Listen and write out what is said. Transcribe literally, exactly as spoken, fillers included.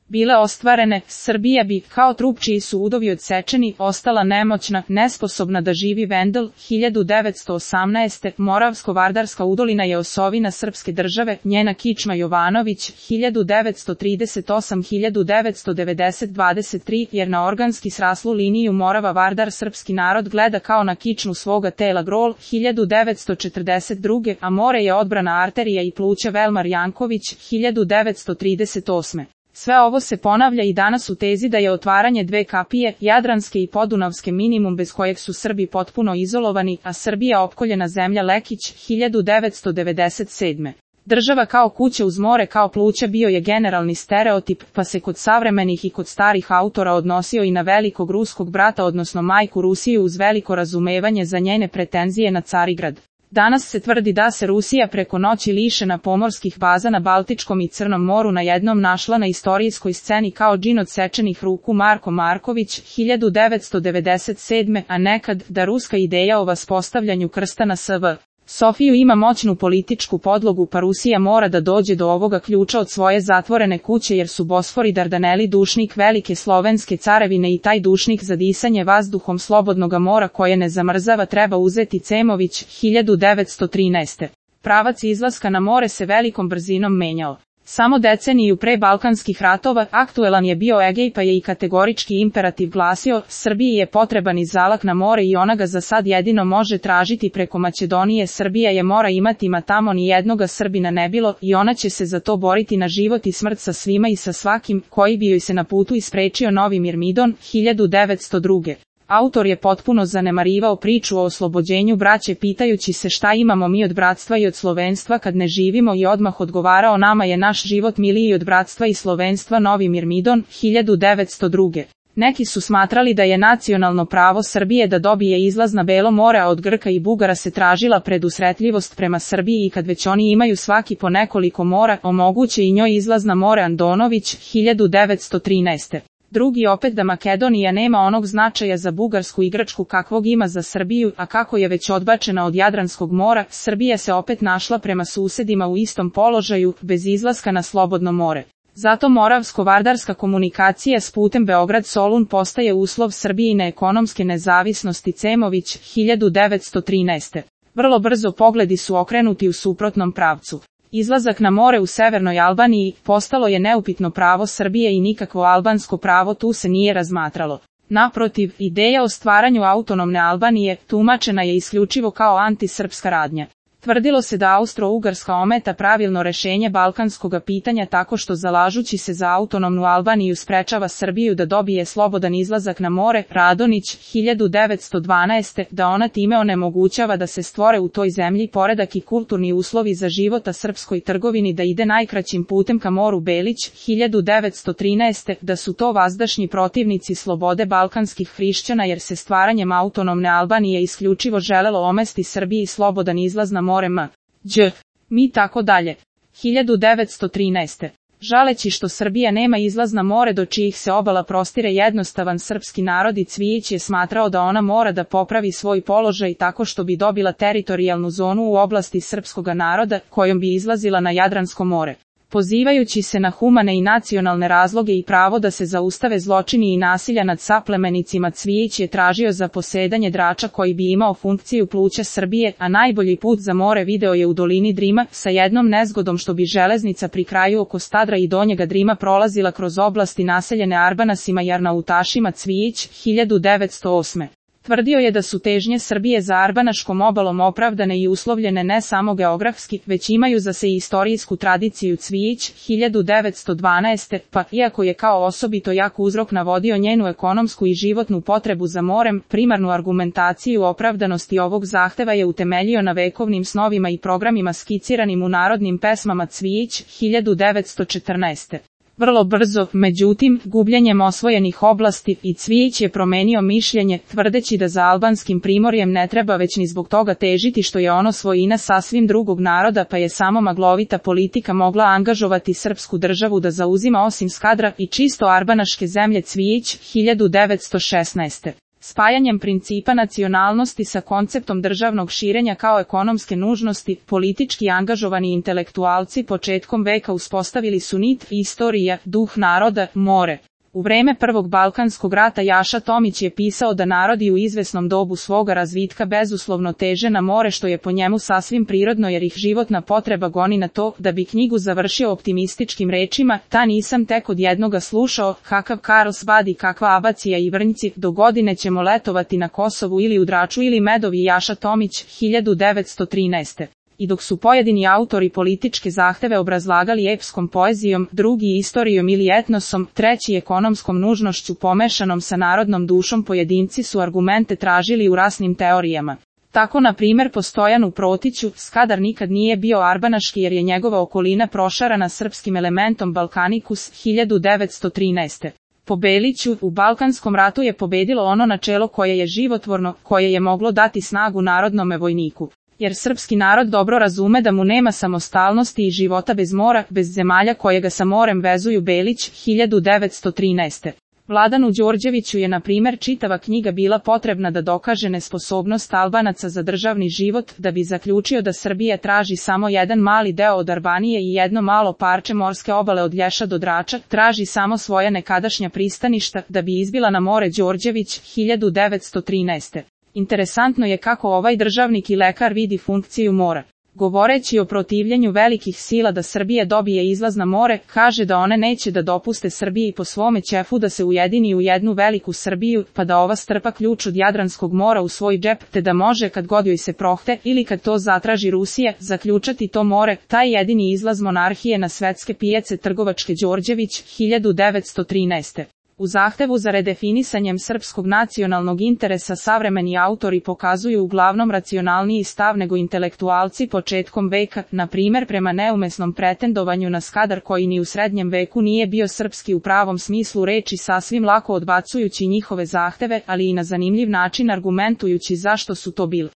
bile ostvarene, Srbija bi, kao trup čiji su udovi odsečeni, ostala nemoćna, nesposobna da živi. Vendel, hiljadu devetsto osamnaeste. Moravsko-Vardarska udolina je osovina srpske države, njena kičma Jovanović, hiljadu devetsto trideset osam do hiljadu devetsto devedeset. dvadeset tri. Jer na organski sraslu liniju Morava-Vardar srpski narod gleda kao na kičmu svoga tela. Grol, hiljadu devetsto četrdeset druge. A more je odbrana arterija i pluća. Velmar Janković, hiljadu devetsto trideset osme. Sve ovo se ponavlja i danas u tezi da je otvaranje dve kapije, Jadranske i Podunavske, minimum bez kojeg su Srbi potpuno izolovani, a Srbija opkoljena zemlja. Lekić, hiljadu devetsto devedeset sedme. Država kao kuća uz more kao pluća bio je generalni stereotip, pa se kod savremenih i kod starih autora odnosio i na velikog ruskog brata odnosno majku Rusiju uz veliko razumevanje za njene pretenzije na Carigrad. Danas se tvrdi da se Rusija preko noći lišena pomorskih baza na Baltičkom i Crnom moru na jednom našla na istorijskoj sceni kao džin odsečenih ruku. Marko Marković, hiljadu devetsto devedeset sedme. A nekad, da ruska ideja o vaspostavljanju krsta na S V Sofiju ima moćnu političku podlogu, pa Rusija mora da dođe do ovoga ključa od svoje zatvorene kuće jer su Bosfor i Dardaneli dušnik velike slovenske carevine i taj dušnik za disanje vazduhom slobodnoga mora koje ne zamrzava treba uzeti. Cemović, hiljadu devetsto trinaeste. Pravac izlaska na more se velikom brzinom menjao. Samo deceniju pre Balkanskih ratova aktuelan je bio Egej, pa je i kategorički imperativ glasio, Srbiji je potreban izalak na more i ona ga za sad jedino može tražiti preko Makedonije. Srbija je mora imati, ma tamo ni jednoga Srbina ne bilo i ona će se za to boriti na život i smrt sa svima i sa svakim koji bi joj se na putu isprečio. Novi Mirmidon, hiljadu devetsto druge. Autor je potpuno zanemarivao priču o oslobođenju braće pitajući se šta imamo mi od bratstva i od slovenstva kad ne živimo i odmah odgovarao nama je naš život miliji od bratstva i slovenstva. Novi Mirmidon, hiljadu devetsto druge. Neki su smatrali da je nacionalno pravo Srbije da dobije izlaz na Belo more, a od Grka i Bugara se tražila predusretljivost prema Srbiji i kad već oni imaju svaki po nekoliko mora, omoguće i njoj izlaz na more. Andonović, hiljadu devetsto trinaeste. Drugi opet da Makedonija nema onog značaja za Bugarsku i Grčku kakvog ima za Srbiju, a kako je već odbačena od Jadranskog mora, Srbija se opet našla prema susedima u istom položaju, bez izlaska na slobodno more. Zato Moravsko-Vardarska komunikacija s putem Beograd-Solun postaje uslov Srbijine ekonomske nezavisnosti. Cemović, hiljadu devetsto trinaeste. Vrlo brzo pogledi su okrenuti u suprotnom pravcu. Izlazak na more u severnoj Albaniji postalo je neupitno pravo Srbije i nikakvo albansko pravo tu se nije razmatralo. Naprotiv, ideja o stvaranju autonomne Albanije tumačena je isključivo kao antisrpska radnja. Tvrdilo se da Austro-Ugarska ometa pravilno rešenje balkanskog pitanja tako što zalažući se za autonomnu Albaniju sprečava Srbiju da dobije slobodan izlazak na more. Radonić, hiljadu devetsto dvanaeste. Da ona time onemogućava da se stvore u toj zemlji poredak i kulturni uslovi za života srpskoj trgovini da ide najkraćim putem ka moru. Belić, hiljadu devetsto trinaeste. Da su to vazdašnji protivnici slobode balkanskih hrišćana jer se stvaranjem autonomne Albanije isključivo želelo omesti Srbiji slobodan izlaz na more. M. Đ. Mi tako dalje. hiljadu devetsto trinaeste. Žaleći što Srbija nema izlaz na more do čijih se obala prostire jednostavan srpski narod i Cvijić je smatrao da ona mora da popravi svoj položaj tako što bi dobila teritorijalnu zonu u oblasti srpskoga naroda kojom bi izlazila na Jadransko more. Pozivajući se na humane i nacionalne razloge i pravo da se zaustave zločini i nasilja nad saplemenicima, Cvijić je tražio zaposedanje Drača koji bi imao funkciju pluća Srbije, a najbolji put za more video je u dolini Drima, sa jednom nezgodom što bi železnica pri kraju oko Stadra i Donjega Drima prolazila kroz oblasti naseljene Arbanasima i Arnautašima. Cvijić, hiljadu devetsto osme. Tvrdio je da su težnje Srbije za Arbanaškom obalom opravdane i uslovljene ne samo geografski, već imaju za se i istorijsku tradiciju. Cvijić, hiljadu devetsto dvanaeste. Pa, iako je kao osobito jak uzrok navodio njenu ekonomsku i životnu potrebu za morem, primarnu argumentaciju opravdanosti ovog zahteva je utemeljio na vekovnim snovima i programima skiciranim u narodnim pesmama. Cvijić, hiljadu devetsto četrnaeste. Vrlo brzo, međutim, gubljenjem osvojenih oblasti, i Cvijić je promenio mišljenje, tvrdeći da za albanskim primorjem ne treba već ni zbog toga težiti što je ono svojina sasvim drugog naroda, pa je samo maglovita politika mogla angažovati srpsku državu da zauzima osim Skadra i čisto arbanaške zemlje. Cvijić, hiljadu devetsto šesnaeste. Spajanjem principa nacionalnosti sa konceptom državnog širenja kao ekonomske nužnosti, politički angažovani intelektualci početkom veka uspostavili su nit, istorija, duh naroda, more. U vreme Prvog Balkanskog rata Jaša Tomić je pisao da narodi u izvesnom dobu svoga razvitka bezuslovno teže na more, što je po njemu sasvim prirodno jer ih životna potreba goni na to. Da bi knjigu završio optimističkim rečima: ta nisam tek od jednoga slušao, kakav Karlsbad i kakva Abacija i Vrnjci, do godine ćemo letovati na Kosovu ili u Draču ili Medovi. Jaša Tomić, hiljadu devetsto trinaeste. I dok su pojedini autori političke zahteve obrazlagali epskom poezijom, drugi istorijom ili etnosom, treći ekonomskom nužnošću pomešanom sa narodnom dušom, pojedinci su argumente tražili u rasnim teorijama. Tako na primjer po Stojanu Protiću, Skadar nikad nije bio arbanaški jer je njegova okolina prošarana srpskim elementom Balkanikus, hiljadu devetsto trinaeste. Po Beliću, u Balkanskom ratu je pobedilo ono načelo koje je životvorno, koje je moglo dati snagu narodnome vojniku. Jer srpski narod dobro razume da mu nema samostalnosti i života bez mora, bez zemalja koje ga sa morem vezuju. Belić, hiljadu devetsto trinaeste. Vladanu Đorđeviću je na primjer čitava knjiga bila potrebna da dokaže nesposobnost Albanaca za državni život, da bi zaključio da Srbija traži samo jedan mali deo od Albanije i jedno malo parče morske obale od Lješa do Drača, traži samo svoja nekadašnja pristaništa, da bi izbila na more. Đorđević, hiljadu devetsto trinaeste. Interesantno je kako ovaj državnik i lekar vidi funkciju mora. Govoreći o protivljenju velikih sila da Srbija dobije izlaz na more, kaže da one neće da dopuste Srbiji po svome ćefu da se ujedini u jednu veliku Srbiju, pa da ova strpa ključ od Jadranskog mora u svoj džep, te da može kad god joj se prohte ili kad to zatraži Rusija, zaključati to more, taj jedini izlaz monarhije na svetske pijace trgovačke. Đorđević, hiljadu devetsto trinaeste. U zahtevu za redefinisanjem srpskog nacionalnog interesa savremeni autori pokazuju uglavnom racionalniji stav nego intelektualci početkom veka, na primjer prema neumesnom pretendovanju na Skadar koji ni u srednjem veku nije bio srpski u pravom smislu reči, sasvim lako odbacujući njihove zahteve, ali i na zanimljiv način argumentujući zašto su to bili.